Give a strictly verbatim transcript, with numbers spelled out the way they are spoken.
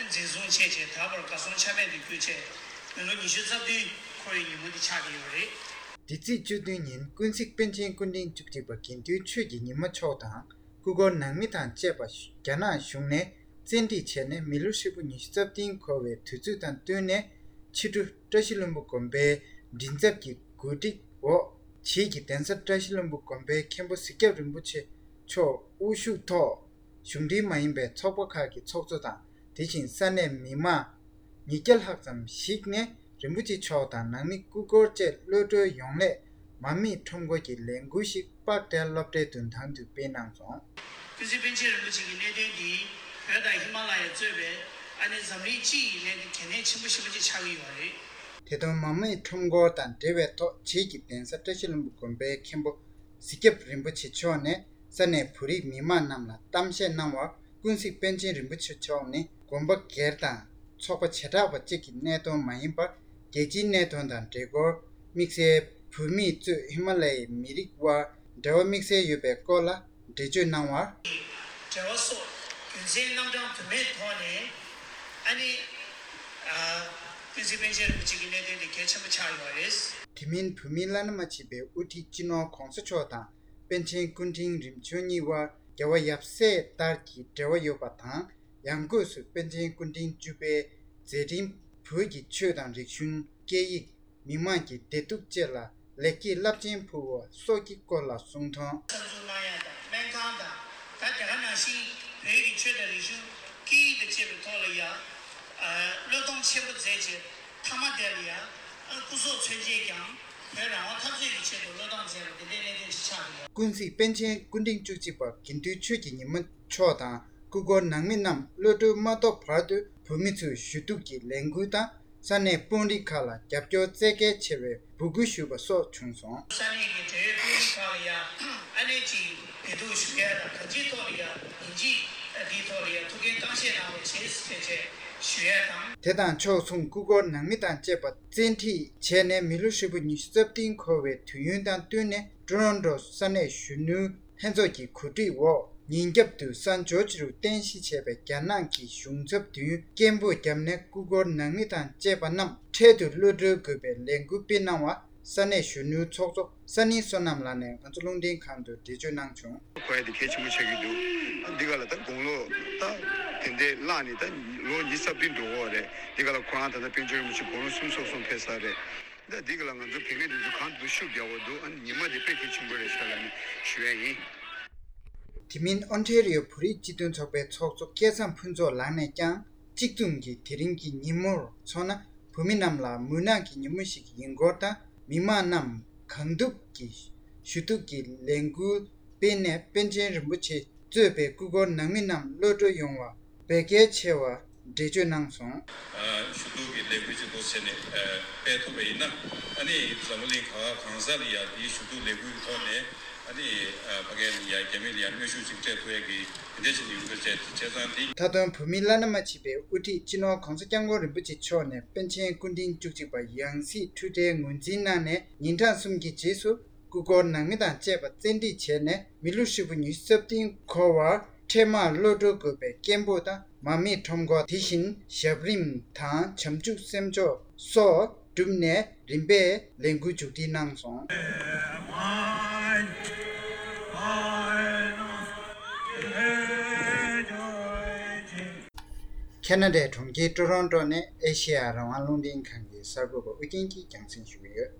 འཛིན་བཟུང་བྱས་རྗེས་ད་བར་གར་སོང་ཆ་མེད་དུ་གྱུར་བྱས་མི་ལོ་ཉི་ཤུ་རྩ་བདུན་འཁོར་བའི་ཉིན་མོ་འདི་ཆགས་ཀྱི་ཡོད་པ་རེད། འདི་ཚེས་བཅུ་བདུན་ཉིན་ཀུན་གཟིགས་པཎ་ཆེན་སྐུ་ཕྲེང་བཅུ་གཅིག་པ་དགེ་འདུན་ཆོས་ཀྱི་ཉི་མ་མཆོག་དང་སྐུ་འཁོར་ནང་མི་དང་བཅས་པ་རྒྱ་ནག་གཞུང་ནས་བཙན་ཁྲིད་བྱས་ནས་མི་ལོ་ཧྲིལ་པོ་ཉི་ཤུ་རྩ་བདུན་འཁོར་བའི་དུས་ཚོད་དང་བསྟུན་ནས་ཕྱི་དྲོ་བཀྲ་ཤིས་ལྷུན་པོ་དགོན་པའི་མགྲིན་ཚབ་ཀྱི་གོ་སྒྲིག་འོག་བྱེས་ཀྱི་གདན་ས་བཀྲ་ཤིས་ལྷུན་པོ་དགོན་པའི་མཁན་པོ་གཟིགས་སྐྱབས་རིན་པོ་ཆེ་མཆོག་དབུ་བཞུགས་ཐོག་གཞུང་འབྲེལ་མ་ཡིན་པའི་ཚོགས་པ་ཁག་གི་ཚོགས་གཙོ་དང་དེ་བཞིན་ས་གནས་མི་མང་ཉིས་བརྒྱ་ལྷག་ཙམ་ཞིག་ནས་རིན་པོ་ཆེ་མཆོག་དང་ནང་མི་སྐུ་འཁོར་བཅས་གློད་གྲོལ་ཡོང་སླད་མར་མེའི་ཁྲོམ་སྐོར་གྱི་ལས་འགུལ་ཞིག་པགས་གྲལ་སློབ་གྲྭའི་མདུན་ཐང་དུ་སྤེལ་གནང་སོང་། ཀུན་གཟིགས་པཎ་ཆེན་རིན་པོ་ཆེ་གི་གནད་དོན་འདི་བོད་དང་ཧི་མ་ལ་ཡ་གཙོས་པའི་ཨ་ནི་འཛམ་གླིང་སྤྱི་ཡི་གནད་དོན་གལ་གནད་ཆེན་པོ་ཞེ་པོ་ཅིག་ཆགས་ཀྱི་ཡོད་རེད། དེ་དོན་མར་མེའི་ཁྲོམ་སྐོར་དང་འབྲེལ་བའི་ཐོག་བྱེས་ཀྱི་གདན་ས་བཀྲ་ཤིས་ལྷུན་པོ་དགོན་པའི་མཁན་པོ་གཟིགས་སྐྱབས་རིན་པོ་ཆེ་མཆོག་ནས་ས་གནས་བོད་རིགས་མི་མང་རྣམས་ལ་གཏམ་བཤད་གནང་བར། ཀུན་གཟིགས་པཎ་ཆེན་རིན་པོ་ཆེ་མཆོག་ནི་དགོན་པ་སྒེར་དང་ཚོགས་པ་བྱེ་བྲག་པ་གཅིག་གི་གནད་དོན་མ་ཡིན་པར་རྒྱལ་སྤྱིའི་གནད་དོན་དང་འབྲེལ་སྐོར། དམིགས་བསལ་བོད་མིས་གཙོས་ཧི་མ་ལ་ཡའི་མི་རིགས་དབར་འབྲེལ་བ་དམིགས་བསལ་ཡོད་པའི་སྐོར་ལ་འགྲེལ་བརྗོད་གནང་བར། འབྲེལ་བ་སོགས་རྒྱུ་མཚན་རྣམ་གྲངས་དུ་མའི་ཐོག་ནས་ཨ་ནི་ཀུན་གཟིགས་པཎ་ཆེན་རིན་པོ་ཆེ་གི་གནད་དོན་དེ་གལ་ཆེན་པོ་ཆགས་ཡོད་པ་རེད། དེ་མིན་བོད་མིའི་བླ་ན་མ་མཆིས་པའི་དབུ་ཁྲིད་སྤྱི་ནོར་༧གོང་ས་མཆོག་དང་པཎ་ཆེན་སྐུ་ཕྲེང་རིམ་བྱོན་གཉིས་དབར་རྒྱལ་བ་ཡབ་སྲས་ལྟར་གྱི་འབྲེལ་བ་ཡོད་པ་དང་། ཡང་སྒོས་སུ་པཎ་ཆེན་སྐུ་ཕྲེང་བཅུ་པའི་མཛད་འཕྲིན་བོད་ཀྱི་ཆོས་དང་རིག་གཞུང་། སྐད་ཡིག་མི་དམངས་ཀྱི་བདེ་སྡུག་བཅས་ལ་ལེགས་སྐྱེས་རླབས་ཆེན་ཕུལ་བ་སོགས་ཀྱི་སྐོར་ལ་གསུང་དོན། གསར་འཛུགས་གནང་ཡ་དང་སྨན་ཁང་དང་། ད་དེ་ག་ནང་བཞིན་བོད་ཀྱི་ཆོས་དང་རིག་གཞུང་སྐད་ཡིག་དང་བཅས་པའི་ཐོག་ལ་ཡ། བློས་གཏོང་ཆེན་པོ་མཛད་རྗེས་མཐའ་མ་དེ་ལ་ཡ། སྐུ་སྲོག་མཚོན་ཆེད་ཀྱང་བོད་རང་དབང་འཐབ་རྩོད་ཀྱི་ཆེད་དུ་བློས་གཏོང་མཛད་པ་དེ་འདྲའི་གནད་དོན་ཞིག་ཆགས་འདུག་ཀུན་གཟིགས་པཎ་ཆེན་སྐུ་ཕྲེང་བཅུ་གཅིག་པ་དགེ་འདུན་ཆོས་ཀྱི་ཉི་མ་མཆོག་དང་སྐུ་འཁོར་ནང་མི་རྣམས་གློད་གྲོལ་མ་ཐོབ་བར་དུ་བོད་མི་ཚོས་ཞུ་གཏུག་གི་ལས་འགུལ་དང་། ས་གནས་དཔོན་རིགས་ཁག་ལ་རྒྱབ་སྐྱོར་བཙལ་གལ་ཆེ་བའི་འབོད་སྐུལ་ཞུས་པ་སོགས་བྱུང་སོང་། ས་གནས་ཀྱི་འབྲེལ་ཡོད་དཔོན་རིགས་ཁག་ལ་ཡང་ཨ་ནེ་ཅིག་བདེ་སྡུག་ཞུ་ཡ་དང་གང་ཅིའི་ཐོག་ལ་ཡང་ཡིན་གཅིག་འདིའི་ཐོག་ལ་ཡང་ཐུགས་འགན་གཙང་བཞེས་གནང་རོགས་ཞེས་ཕལ་ཆེར་ཞུ་ཡ་དང་། དེ་དང་ཕྱོགས་མཚུངས་སྐུ་འཁོར་ནང་མི་དང་བཅས་པ་བཙན་ཁྲིད་བྱས་ནས་མི་ལོ་ཧྲིལ་པོ་ཉི་ཤུ་རྩ་བདུན་འཁོར་བའི་དུས་ཡུན་དང་བསྟུན་ནས་ཀྲོ་རོན་ཀྲོ་ས་གནས་གཞོན་ནུ། ལྷན་ཚོགས་ཀྱི་གོ་སྒྲིག་འོག་ཉིན་རྒྱབ་ཏུ་སན་ཇོར་ཇི་རུ་རྟེན་གཞི་བྱས་པའི་རྒྱ་ནག་གི་གཞུང་ཚབ་མདུན་སྐད་འབོད་བརྒྱབ་ནས་སྐུ་འཁོར་ནང་མི་དང་བཅས་པ་རྣམས་འཕྲལ་དུ་གློད་གྲོལ་དགོས་པའི་ལས་འགུལ་སྤེལ་གནང་བ་ས་གནས་གཞོན་ནུའི་ཚོགས་གཙོ་ས་ནིང་བསོད་ནམས་ལགས་ནས་ང་ཚོ་རླུང་འཕྲིན་ཁང་དུ་འགྲེལ་བརྗོད་གནང་བྱུང་། གོ་ཡ་དེ་གལ་ཆེན་པོ་ཆགས་ཀྱི་འདུག་འདི་ག་ལ་ད་དགུང་ལོ་ད་དེ་འདྲའི་བརླག་ནས་ད་ལོ་ཉི་ཤུ་རྩ་བདུན་འགྲོ་གི་རེད། འདི་ག་ལ་ཁོ་རང་ད་ལྟ་པཎ་ཆེན་རིན་པོ་ཆེ་དགུང་ལོ་སུམ་ཅུ་སོ་གསུམ་ཕེབས་ཚར་རེད། ད་འདི་ག་ལ་ང་ཚོ་བོད་སྐད་འདི་ཚོ་གང་དུ་ཤུགས་རྒྱག་པ་འདུག་ཨ་ནི་ཉི་མ་འདི་དཔེ་གལ་ཆེན་པོ་རེད་ཤག་ལབ་ནས་ཞུ་ཡ་ཡིན། དེ་མིན་ཨོན་ཊེ་རི་ཡོ་བོད་རིགས་སྤྱི་མཐུན་ཚོགས་པའི་ཚོགས་གཙོ་སྐལ་བཟང་ཕུན་ཚོགས་ལགས་ནས་ཀྱང་གཅིག་མཚུངས་ཀྱིས་དེ་རིང་གི་ཉིན་མོར་མཚོན་ན་བོད་མི་རྣམས་ལ་མུན་ནག་གི་ཉིན་མོ་ཞིག་ཡིན་སྐོར་དང་མི་མང་རྣམས་གང་ཐུབ་ཀྱིས་ཞུ་གཏུག་གི་ལས་འགུལ་སྤེལ་ནས་པཎ་ཆེན་རིན་པོ་ཆེ་གཙོས་པའི་སྐུ་འཁོར་ནང་མི་རྣམས་གློད་གྲོལ་ཡོང་བ་བོད་སྐད་ཆེ་བ། འགྲེལ་བརྗོད་གནང་སོང་། ཞུ་གཏུག་གི་ལས་འགུལ་ཅིག་འདུག་ཟེར་ནས་སྤེལ་ཐུབ་པ་ཡིན་ན་ཨ་ནི་འཛམ་བུ་གླིང་ག་བ་གང་ས་ལ་ཡ་དེའི་ཞུ་གཏུག་ལས་འགུལ་གྱི་ཐོག་ནས་ཨ་ནི་ཕ་གི་ལ་ཡ་རྒྱ་མི་ལ་ཡ་གནོན་ཤུགས་ཅིག་སྤྲད་ཐུབ་ཡ་གི་དེ་འདྲ་ཅིག་ཡོང་གི་རེད། བྱས་ཙང་དེ། མཐའ་དོན་བོད་མིའི་བླ་ན་མ་མཆིས་པའི་དབུ་ཁྲིད་སྤྱི་ནོར་༧གོང་ས་༧སྐྱབས་མགོན་རིན་པོ་ཆེ་མཆོག་ནས་པཎ་ཆེན་སྐུ་ཕྲེང་བཅུ་གཅིག་པ་ཡང་སྲིད་འཁྲུལ་བྲལ་ངོས་འཛིན་གནང་ནས་ཉིན་གྲངས་གསུམ་གྱི་རྗེས་སུ། སྐུ་འཁོར་ནང་མི་དང་བཅས་པ་བཙན་ཁྲིད་བྱས་ནས་མི་ལོ་ཧྲིལ་པོ་ཉི་ཤུ་རྩ་བདུན་འཁོར་བར་འཕྲལ་མར་གློད་གྲོལ་དགོས་པའི་སྐད་འབོད་དང་མར་མེའི་ཁྲོམ་སྐོར། དེ་བཞིན་ཞབས་རིམ་དང་བྱམས་ཆུ་སེམས་མཆོག་སོགས་བསྒྲུབས་ནས་རིམ་པས་ལས་འགུལ་མཇུག་སྒྲིལ་གནང་སོང་། ཁེ་ན་ཌའི་གྲོང་ཁྱེར་ཀྲོ་རོན་ཀྲོ་ནས་ཨེ་ཤེ་ཡ་རང་དབང་རླུང་འཕྲིན་ཁང་གི་གསར་འགོད་པ་ཨུ་རྒྱན་གྱིས་རྒྱང་སྲིང་ཞུ་གི་ཡོད།